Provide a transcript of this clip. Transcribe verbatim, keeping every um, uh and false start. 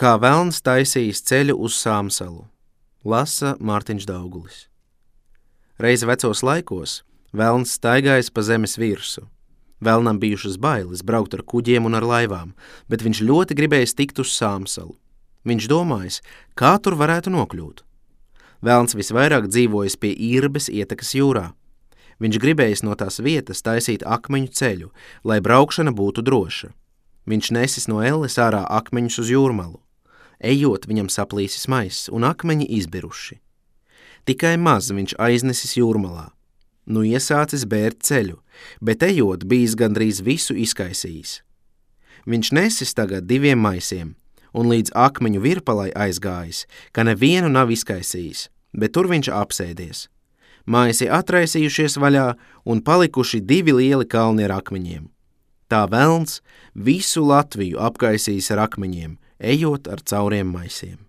Kā velns taisījis ceļu uz Sāmsalu, lasa Mārtiņš Daugulis. Reiz vecos laikos velns staigājis pa zemes virsu. Velnam bijušas bailes braukt ar kuģiem un ar laivām, bet viņš ļoti gribējis tikt uz Sāmsalu. Viņš domājis, kā tur varētu nokļūt. Velns visvairāk dzīvojis pie Irbes ietekas jūrā. Viņš gribējis no tās vietas taisīt akmeņu ceļu, lai braukšana būtu droša. Viņš nesis no elles ārā akmeņus uz jūrmalu. Ejot, viņam saplīsis maiss un akmeņi izbiruši. Tikai maz viņš aiznesis jūrmalā. Nu iesācis bērt ceļu, bet ejot bijis gandrīz visu izkaisījis. Viņš nesis tagad diviem maisiem, un līdz akmeņu virpalai aizgājis, ka nevienu nav izkaisījis, bet tur viņš apsēdies. Maisi atraisījušies vaļā un palikuši divi lieli kalni ar akmeņiem. Tā velns visu Latviju apkaisījis ar akmeņiem, ejot ar cauriem maisiem.